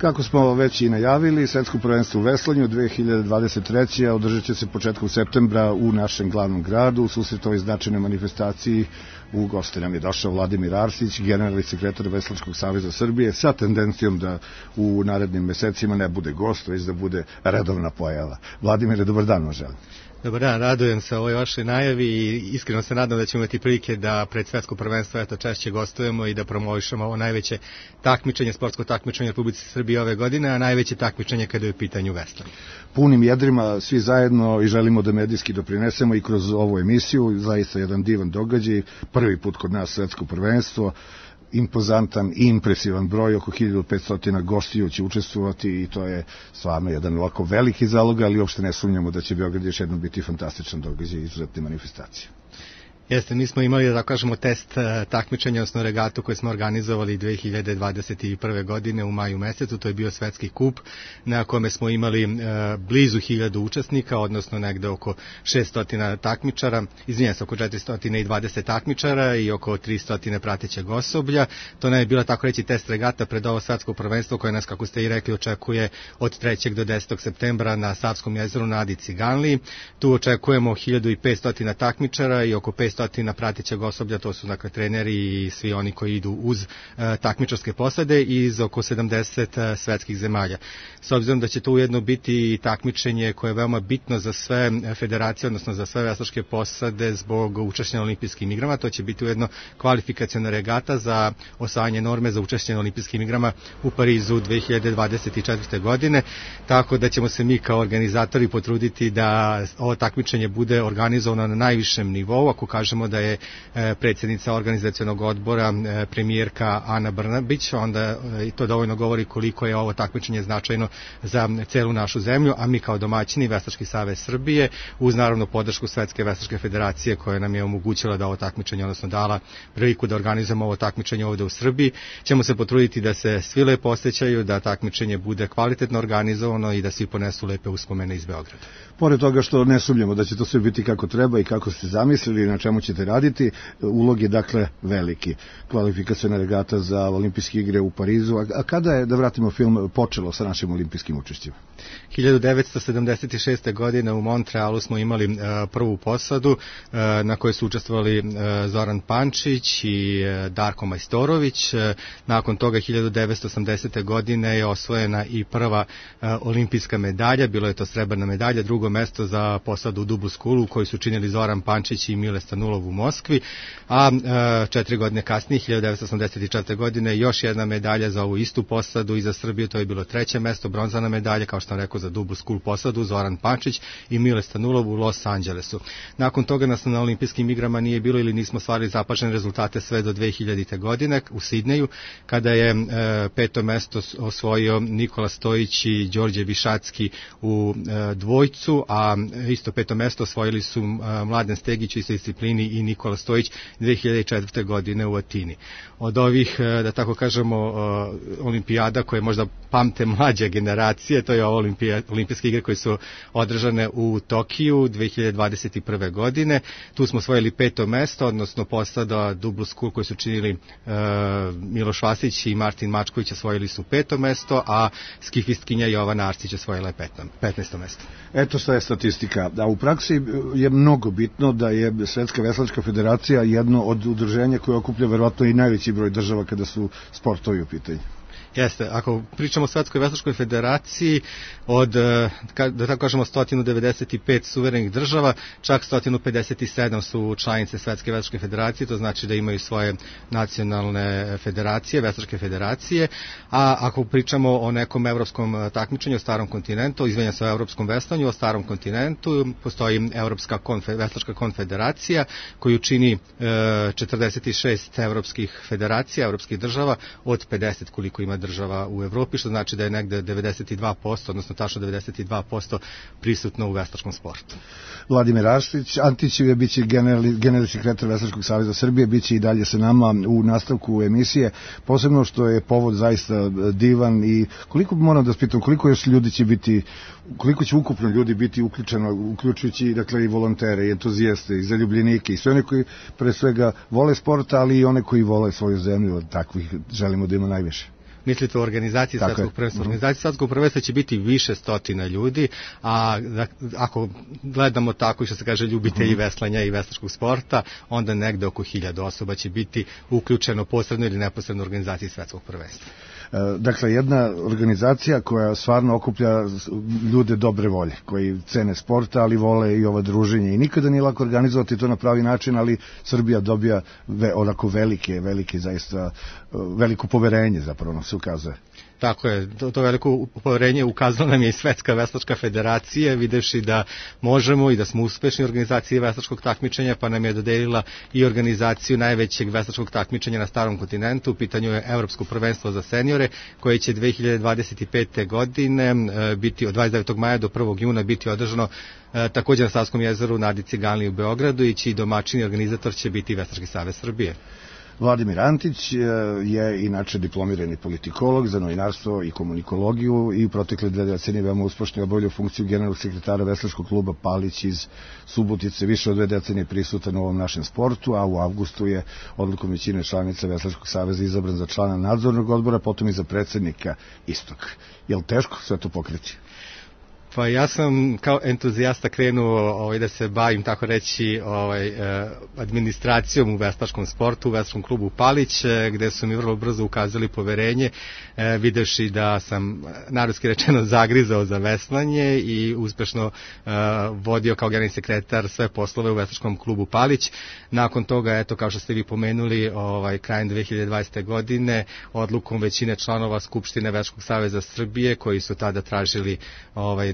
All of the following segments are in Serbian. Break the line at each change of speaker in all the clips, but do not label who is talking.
Kako smo već i najavili, svetsko prvenstvo u veslanju 2023. održat će se početkom septembra u našem glavnom gradu. U susret ovoj značajnoj manifestaciji u goste nam je došao Vladimir Arsić, generalni sekretar Veslačkog saveza Srbije, sa tendencijom da u narednim mesecima ne bude gost, već da bude redovna pojava. Vladimire, dobar dan vam želim.
Dobar dan, radujem se ovoj vašoj najavi i iskreno se nadam da ćemo imati prilike da pred svetsko prvenstvo češće gostujemo i da promovišemo ovo najveće takmičenje, sportsko takmičenje u Republici Srbije ove godine, a najveće takmičenje kada je u pitanju veslanje.
Punim jedrima svi zajedno i želimo da medijski doprinesemo i kroz ovu emisiju, zaista jedan divan događaj, prvi put kod nas svetsko prvenstvo, impozantan i impresivan broj, oko 1500 gostiju će učestvovati i to je stvarno jedan ovako veliki zalog, ali uopšte ne sumnjamo da će Beograd još jednom biti fantastičan događaj i izuzetne manifestacije.
Jeste, mi smo imali, da kažemo, test takmičenja, odnosno regatu koju smo organizovali 2021. godine u maju mesecu, to je bio svetski kup na kome smo imali blizu 1000 učesnika, odnosno negde oko 600 takmičara, izvinjam se, oko 420 takmičara i oko 300 pratećeg osoblja. To ne je bila, tako reći, test regata pred ovo svetsko prvenstvo koje nas, kako ste i rekli, očekuje od 3. do 10. septembra na Savskom jezeru na Adi Ciganliji. Tu očekujemo 1500 takmičara i oko 500 pratećeg osoblja, to su dakle treneri i svi oni koji idu uz takmičarske posade iz oko 70 svetskih zemalja. S obzirom da će to ujedno biti takmičenje koje je veoma bitno za sve federacije, odnosno za sve veslačke posade zbog učešća na olimpijskim igrama, to će biti ujedno kvalifikaciona regata za osvajanje norme za učešće na olimpijskim igrama u Parizu 2024. godine, tako da ćemo se mi kao organizatori potruditi da ovo takmičenje bude organizovano na najvišem nivou. Ako kažemo da je predsjednica organizacionog odbora premijerka Ana Brnabić, onda i to dovoljno govori koliko je ovo takmičenje značajno za celu našu zemlju, a mi kao domaćini Veslački savez Srbije, uz naravno podršku Svetske veslačke federacije koja nam je omogućila da ovo takmičenje, odnosno dala priliku da organizujemo ovo takmičenje ovde u Srbiji, ćemo se potruditi da se svi lepo osjećaju, da takmičenje bude kvalitetno organizovano i da svi ponesu lepe uspomene iz Beograda.
Pored toga što ne sumnjamo da će to sve biti kako treba i kako ste zamislili, na čemu ćete raditi, ulog je dakle veliki. Kvalifikaciona regata za olimpijske igre u Parizu. A kada je, da vratimo film, počelo sa našim olimpijskim učešćima?
1976. godine u Montrealu smo imali prvu posadu na kojoj su učestvovali Zoran Pančić i Darko Majstorović. Nakon toga 1980. godine je osvojena i prva olimpijska medalja, bilo je to srebrna medalja, drugo mesto za posadu u Dublu skulu koju su činili Zoran Pančić i Mile Stanulov u Moskvi, a 4 godine kasnije, 1984. godine, još jedna medalja za ovu istu posadu i za Srbiju, to je bilo 3. mesto, bronzana medalja, kao što sam rekao, za Dublu skul posadu, Zoran Pančić i Mile Stanulov u Los Angelesu. Nakon toga nas na olimpijskim igrama nije bilo ili nismo stvarili zapažene rezultate sve do 2000. godine u Sidneju, kada je 5. mesto osvojio Nikola Stojić i Đorđe Višacki u dvojcu, a isto 5. mesto osvojili su Mladen Stegić u istoj disciplini i Nikola Stojić 2004. godine u Atini. Od ovih, da tako kažemo, olimpijada koje možda pamte mlađe generacije, to je ovo olimpijske igre koje su održane u Tokiju 2021. godine. Tu smo osvojili 5. mesto, odnosno posada Dublu skul koji su činili Miloš Vasić i Martin Mačković osvojili su 5. mesto, a skifistkinja Jovana Arsić osvojila je 15. mesto.
Eto šta je statistika. A u praksi je mnogo bitno da je Svetska veslačka federacija jedno od udruženja koje okuplja verovatno i najveći broj država kada su sportovi u pitanju.
Jeste, ako pričamo o Svetskoj veslačkoj federaciji, od, da tako kažemo, 195 suverenih država, čak 157 su članice Svetske veslačke federacije, to znači da imaju svoje nacionalne federacije, veslačke federacije, a ako pričamo o nekom evropskom takmičenju o starom kontinentu, izvinjam se o evropskom veslanju, o starom kontinentu, postoji Evropska veslačka konfederacija koju čini 46 evropskih federacija, evropskih država od 50 koliko ima država u Evropi, što znači da je negde 92%, odnosno tačno 92% prisutno u veslačkom sportu.
Vladimir Antić je biće generalni sekretar Veslačkog saveza Srbije, biće i dalje sa nama u nastavku emisije, posebno što je povod zaista divan i koliko moram da spitam, koliko još ljudi će biti, koliko će ukupno ljudi biti uključeno, uključujući dakle i volontere, i entuzijaste, i zaljubljenike, i sve one koji pre svega vole sport, ali i one koji vole svoju zemlju, od takvih želimo da ima najviše.
mislite o organizaciji svetskog prvenstva. Organizaciji svetskog prvenstva će biti više stotina ljudi, a ako gledamo tako, što se kaže, ljubitelji veslanja i veslačkog sporta, onda negde oko 1000 osoba će biti uključeno posredno ili neposredno u organizaciji svetskog prvenstva.
Dakle, jedna organizacija koja stvarno okuplja ljude dobre volje, koji cene sporta, ali vole i ova druženje. I nikada nije lako organizovati to na pravi način, ali Srbija dobija onako velike, zaista veliko poverenje, zapravo nam se ukazuje.
Tako je, to veliko poverenje ukazala nam je i Svetska veslačka federacija, videvši da možemo i da smo uspešni u organizaciji veslačkog takmičenja, pa nam je dodelila i organizaciju najvećeg veslačkog takmičenja na starom kontinentu. U pitanju je Evropsko prvenstvo za seniore, koje će 2025. godine biti od 29. maja do 1. juna biti održano također na Savskom jezeru na Adi Ciganliji u Beogradu, i čiji domaćin i organizator će biti Veslački savez Srbije.
Vladimir Antić je inače diplomirani politikolog za novinarstvo i komunikologiju i u protekle 2 decenije veoma uspešno obavljao funkciju generalnog sekretara veslačkog kluba Palić iz Subotice. Više od 2 decenije prisutan u ovom našem sportu, a u avgustu je odlukom većine članica Veslačkog saveza izabran za člana nadzornog odbora, potom i za predsednika istog. Je li teško sve to pokriti?
Pa ja sam kao entuzijasta krenuo da se bavim, tako reći, administracijom u veslačkom sportu, u veslačkom klubu Palić, gde su mi vrlo brzo ukazali poverenje, videvši da sam, narodski rečeno, zagrizao za veslanje i uspešno vodio kao generalni sekretar sve poslove u veslačkom klubu Palić. Nakon toga, eto, kao što ste vi pomenuli, krajem 2020. godine, odlukom većine članova Skupštine Veslačkog saveza Srbije, koji su tada tražili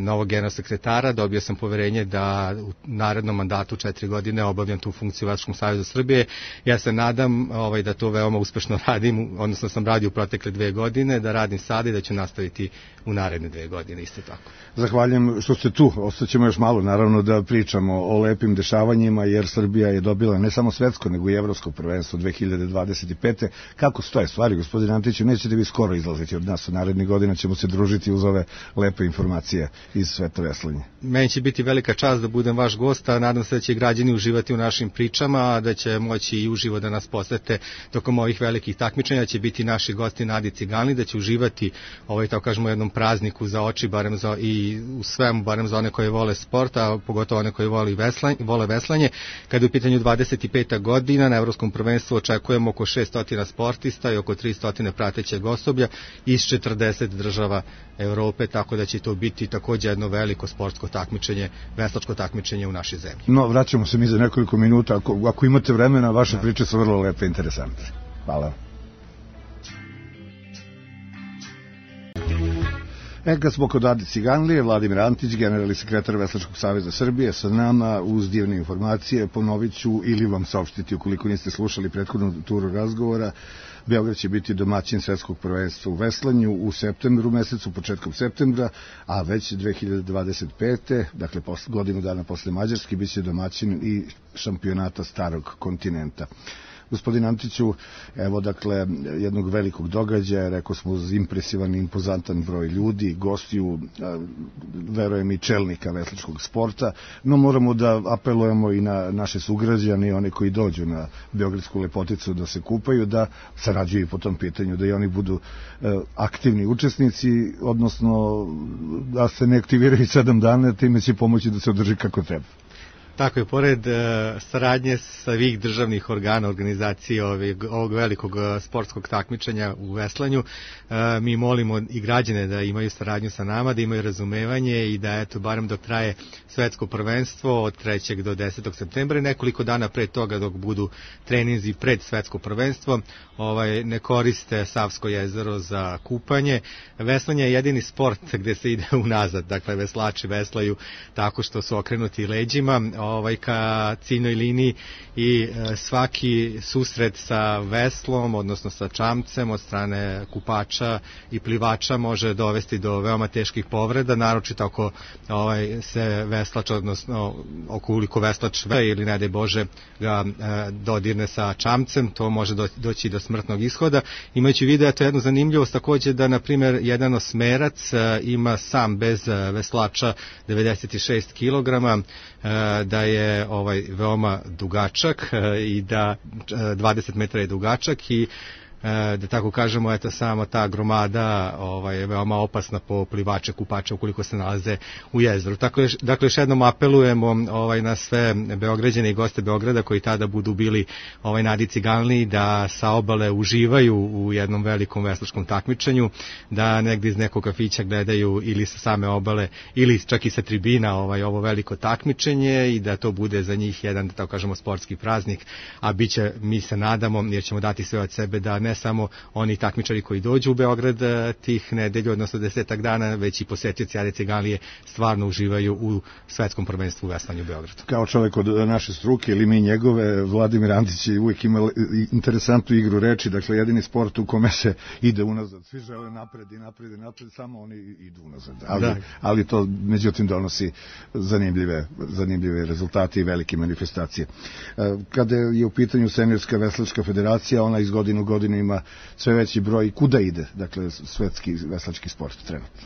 novog generalnog sekretara, dobio sam poverenje da u narednom mandatu 4 godine obavljam tu funkciju u Veslačkom savezu Srbije. Ja se nadam da to veoma uspešno radim, odnosno sam radio u protekle 2 godine, da radim sada i da ću nastaviti u naredne 2 godine, isto tako.
Zahvaljujem što ste tu. Ostaćemo još malo, naravno, da pričamo o lepim dešavanjima, jer Srbija je dobila ne samo svetsko, nego i evropsko prvenstvo 2025. Kako stoje stvari, gospodine Antiću? Nećete vi skoro izlaziti od nas, u narednih godina ćemo se družiti uz ove lepe informacije iz sveta veslanja.
Meni će biti velika čast da budem vaš gost, a nadam se da će građani uživati u našim pričama, da će moći i uživo da nas posete tokom ovih velikih takmičenja, će biti naši gosti na Adi Ciganliji, da će uživati tako kažemo jednom prazniku za oči, barem i u svemu, barem za one koji vole sport, a pogotovo one koji vole veslanje. Kada je u pitanju 25. godina, na Evropskom prvenstvu očekujemo oko 600 sportista i oko 300 pratećeg osoblja iz 40 država Evrope, tako da će to biti također jedno veliko sportsko takmičenje, veslačko takmičenje u našoj zemlji.
No, vraćamo se mi za nekoliko minuta, ako imate vremena, vaše priče su vrlo lepe i interesantne. Hvala. Kad smo kod Adi Ciganlije, Vladimir Antić, generalni sekretar Veslačkog saveza Srbije, sa nama uz divne informacije. Ponovit ću ili vam saopštiti, ukoliko niste slušali prethodnu turu razgovora, Beograd će biti domaćin svetskog prvenstva u veslanju u septembru mesecu, početkom septembra, a već 2025. dakle godinu dana posle Mađarske, bit će domaćin i šampionata starog kontinenta. Gospodin Antiću, evo dakle jednog velikog događaja, rekao smo impresivan i impozantan broj ljudi, gostiju, verujem i čelnika veslačkog sporta, no moramo da apelujemo i na naše sugrađane i one koji dođu na Beogradsku lepoticu da se kupaju, da sarađuju po tom pitanju, da i oni budu aktivni učesnici, odnosno da se ne aktiviraju 7 dana, time će pomoći da se održi kako treba.
Tako je, pored saradnje svih državnih organa, organizacije ovog velikog sportskog takmičenja u veslanju, mi molimo i građane da imaju saradnju sa nama, da imaju razumevanje i da, eto, barem dok traje svetsko prvenstvo od 3. do 10. septembra, nekoliko dana pre toga, dok budu treninzi pred svetsko prvenstvo, ne koriste Savsko jezero za kupanje. Veslanje je jedini sport gde se ide unazad, dakle veslači veslaju tako što su okrenuti leđima ka ciljnoj liniji i svaki susret sa veslom, odnosno sa čamcem od strane kupača i plivača može dovesti do veoma teških povreda, naročito ako se veslač, odnosno ukoliko veslač ili ne daj Bože ga dodirne sa čamcem, to može doći do smrtnog ishoda. Imajući video, to je jednu zanimljivost također da, na primjer, jedan osmerac ima sam bez veslača 96 kg, da je veoma dugačak i da 20 metara je dugačak i da tako kažemo, eto samo ta gromada je veoma opasna po plivače, kupače ukoliko se nalaze u jezeru. Dakle, još jednom apelujemo na sve Beograđane i goste Beograda koji tada budu bili na Adi Ciganliji da sa obale uživaju u jednom velikom veslačkom takmičenju, da negdje iz nekog kafića gledaju ili sa same obale ili čak i sa tribina ovo veliko takmičenje i da to bude za njih jedan, da tako kažemo, sportski praznik, a biće, mi se nadamo, jer ćemo dati sve od sebe da ne samo oni takmičari koji dođu u Beograd tih nedelju, odnosno 10 dana, već i posetioci Ade Ciganlije stvarno uživaju u svetskom prvenstvu u veslanju u Beogradu.
Kao čovjek od naše struke ili mi njegove, Vladimir Antić je uvijek imao interesantnu igru reči, dakle jedini sport u kome se ide unazad, svi žele napred i napred i napred, samo oni idu unazad, ali to međutim donosi zanimljive rezultate i velike manifestacije. Kada je u pitanju Seniorska veslačka federacija, ona iz godine u godinu ima sve veći broj. Kuda ide, dakle, svetski veslački sport trenutno?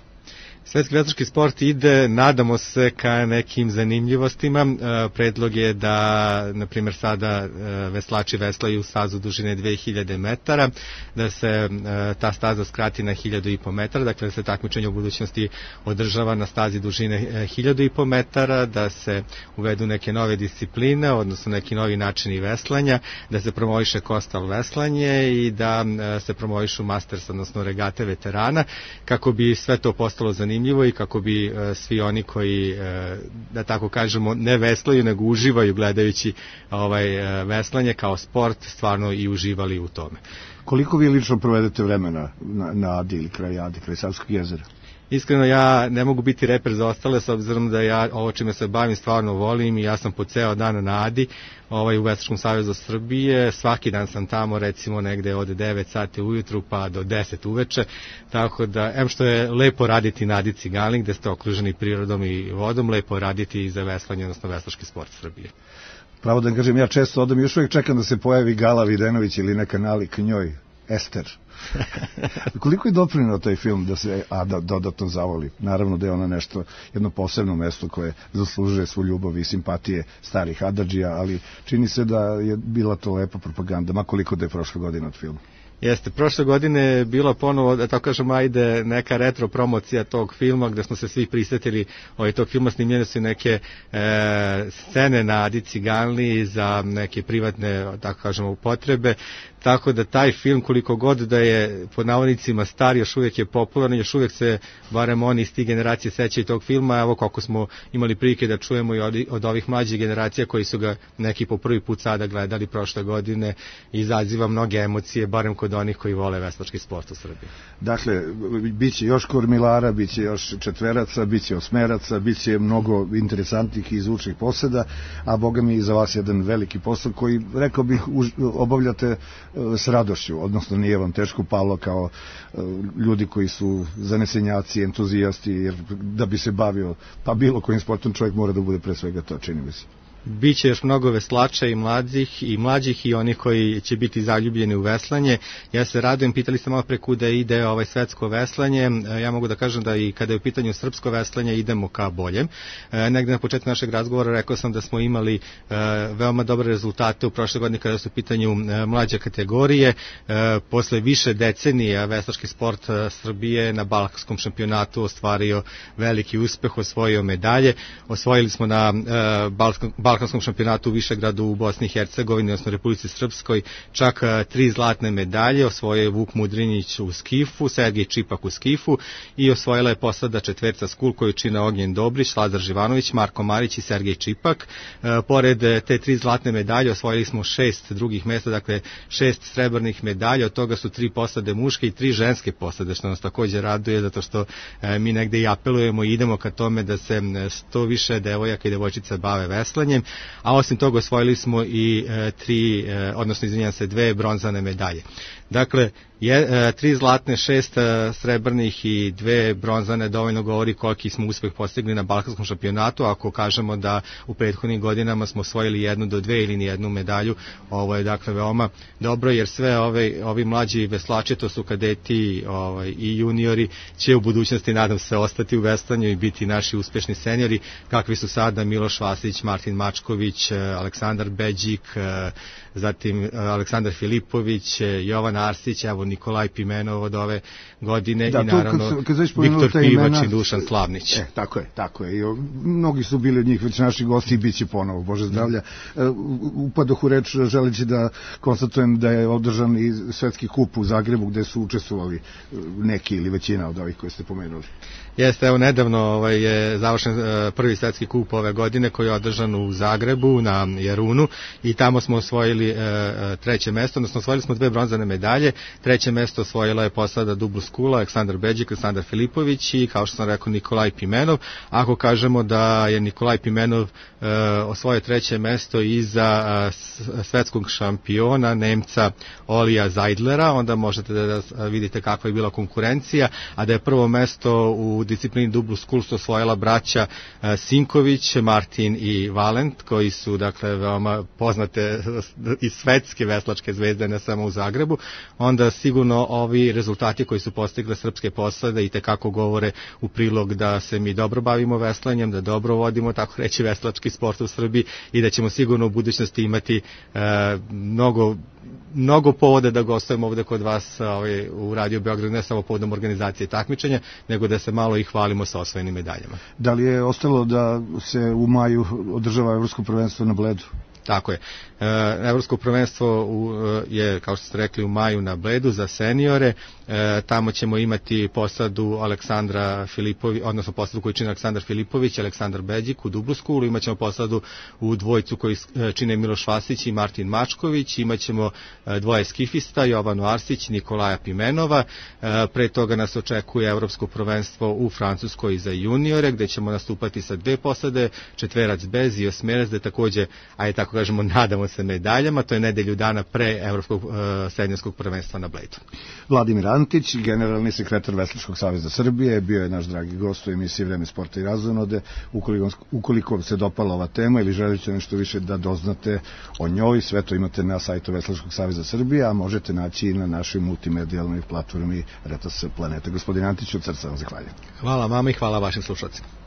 Svetski veslački sport ide, nadamo se, ka nekim zanimljivostima. Predlog je da, na primjer, sada veslači veslaju stazu dužine 2000 metara, da se ta staza skrati na 1500 metara, dakle da se takmičenje u budućnosti održava na stazi dužine 1500 metara, da se uvedu neke nove discipline, odnosno neki novi načini veslanja, da se promoviše kostal veslanje i da se promovišu masters, odnosno regate veterana, kako bi sve to postalo zanimljivo i kako bi svi oni koji, da tako kažemo, ne veslaju, nego uživaju gledajući veslanje kao sport, stvarno i uživali u tome.
Koliko vi lično provedete vremena na Adi ili kraj Adi, kraj Savskog jezera?
Iskreno, ja ne mogu biti reper za ostale, s obzirom da ja ovo čime se bavim stvarno volim i ja sam po ceo dan na Adi u Veslačkom savezu Srbije. Svaki dan sam tamo, recimo negde od 9 sati ujutru pa do 10 uveče, tako da, što je lepo raditi na Adi Ciganliji, gde ste okruženi prirodom i vodom, lepo raditi i za veslanje, odnosno veslački sport Srbije.
Pravo da kažem, ja često odam, još uvijek čekam da se pojavi Gala Videnović ili neka nalik njoj, Ester. Koliko je doprineo taj film da se dodatno zavoli? Naravno da je ona jedno posebno mesto koje zaslužuje svu ljubav i simpatije starih Adadžija, ali čini se da je bila to lepa propaganda, ma koliko da je prošle godine od filma.
Jeste, prošle godine je bila ponovo, da tako kažem, neka retro promocija tog filma, gde smo se svi prisetili tog filma, snimljene su neke scene na Adi Ciganliji za neke privatne, tako kažemo, potrebe, tako da taj film, koliko god da je pod navodnicima star, još uvijek je popularan, još uvijek se, barem oni iz tih generacije, sećaju tog filma. Evo koliko smo imali prilike da čujemo i od ovih mlađih generacija koji su ga neki po prvi put sada gledali prošle godine, izaziva mnoge emocije, barem kod onih koji vole veslački sport u Srbiji.
Dakle, bit će još kormilara, bit će još četveraca, bit će osmeraca, bit će mnogo interesantnih i zvučnih poseda, a boga mi za vas jedan veliki posao koji, rekao bih, obavljate s radošću, odnosno nije vam teško palo kao ljudi koji su zanesenjaci, entuzijasti, jer da bi se bavio pa bilo kojim sportom čovjek mora da bude pre svega to, čini mi se.
Biće još mnogo veslača i mlađih i onih koji će biti zaljubljeni u veslanje. Ja se radujem, pitali ste malo pre kuda ide svetsko veslanje. Ja mogu da kažem da i kada je u pitanju srpsko veslanje idemo ka boljem. Negde na početku našeg razgovora rekao sam da smo imali veoma dobre rezultate u prošle godine kada su u pitanju mlađe kategorije. Posle više decenija veslački sport Srbije na balkanskom šampionatu ostvario veliki uspeh, osvojio medalje. Osvojili smo na balkanskom šampionatu u Višegradu u Bosni i Hercegovini, odnosno Republici Srpskoj, čak 3 zlatne medalje. Osvojio je Vuk Mudrinić u skifu, Sergej Čipak u skifu i osvojila je posada četverca skul koju čine Ognjen Dobrić, Lazar Živanović, Marko Marić i Sergej Čipak. Pored te 3 zlatne medalje osvojili smo 6 drugih mesta, dakle 6 srebrnih medalja, od toga su 3 posade muške i 3 ženske posade, što nas takođe raduje, zato što mi negde i apelujemo i idemo ka tome da se što više devojaka i devojčica bave veslanjem, a osim toga osvojili smo i 2 bronzane medalje. Dakle, 3 zlatne, 6 srebrnih i 2 bronzane dovoljno govori koliki smo uspeh postigli na balkanskom šampionatu. Ako kažemo da u prethodnim godinama smo osvojili 1 do 2 ili nijednu medalju, ovo je dakle veoma dobro, jer sve ovi mlađi veslači, to su kadeti i juniori, će u budućnosti, nadam se, ostati u veslanju i biti naši uspešni seniori, kakvi su sada Miloš Vasić, Martin Mačković, Aleksandar Beđik, zatim Aleksandar Filipović, Jovan Arsić, evo Nikolaj Pimenov od ove godine i naravno Viktor Pivač i Dušan Slavnić.
Tako je. I mnogi su bili od njih već naši gosti i bit će ponovo, Bože zdravlja. Upadoh u reč želeći da konstatujem da je održan i svetski kup u Zagrebu gde su učestvovali neki ili većina od ovih koje ste pomenuli.
Jeste, evo nedavno je završen prvi svetski kup ove godine koji je održan u Zagrebu na Jarunu i tamo smo osvojili 3. mesto, odnosno osvojili smo 2 bronzane medalje. 3. mesto osvojila je posada Dublu Skula, Aleksandar Beđik, Aleksandar Filipović i, kao što sam rekao, Nikolaj Pimenov. Ako kažemo da je Nikolaj Pimenov osvojio 3. mesto iza svetskog šampiona Nemca Olija Zajdlera, onda možete da vidite kakva je bila konkurencija, a da je prvo mesto u disciplini Dublu Skul su osvojila braća Sinković, Martin i Valent, koji su dakle veoma poznate i svetske veslačke zvezde, ne samo u Zagrebu. Onda sigurno ovi rezultati koji su postigle srpske posade i tekako govore u prilog da se mi dobro bavimo veslanjem, da dobro vodimo, tako reći, veslački sport u Srbiji i da ćemo sigurno u budućnosti imati mnogo povoda da gostujemo ovde kod vas u Radio Beograd, ne samo povodom organizacije takmičenja, nego da se malo i hvalimo sa osvojenim medaljama.
Da li je ostalo da se u maju održava Evropsko prvenstvo na Bledu?
Tako je. Evropsko prvenstvo je, kao što ste rekli, u maju na Bledu za seniore. Tamo ćemo imati posadu Aleksandra Filipović, odnosno posadu koju čine Aleksandar Filipović i Aleksandar Beđik u Dublu Skulu. Imaćemo posadu u dvojcu koji čine Miloš Vasić i Martin Mačković. Imaćemo 2 skifista, Jovanu Arsić i Nikolaja Pimenova. Pre toga nas očekuje Evropsko prvenstvo u Francuskoj za juniore, gde ćemo nastupati sa 2 posade, četverac bez i osmerac, gde takođe, ajde tako kažemo, nadamo se medaljama. To je nedelju dana pre Evropskog seniorskog prvenstva na Bledu.
Vladimir Antić, generalni sekretar Veslačkog saveza Srbije, bio je naš dragi gost u emisiji Vreme sporta i razonode. Ukoliko vam se dopala ova tema ili želite nešto više da doznate o njoj, sve to imate na sajtu Veslačkog saveza Srbije, a možete naći i na našoj multimedijalnoj platformi Retas Planete. Gospodin Antić, od srca vam zahvaljujem.
Hvala vama i hvala vašim slušalcima.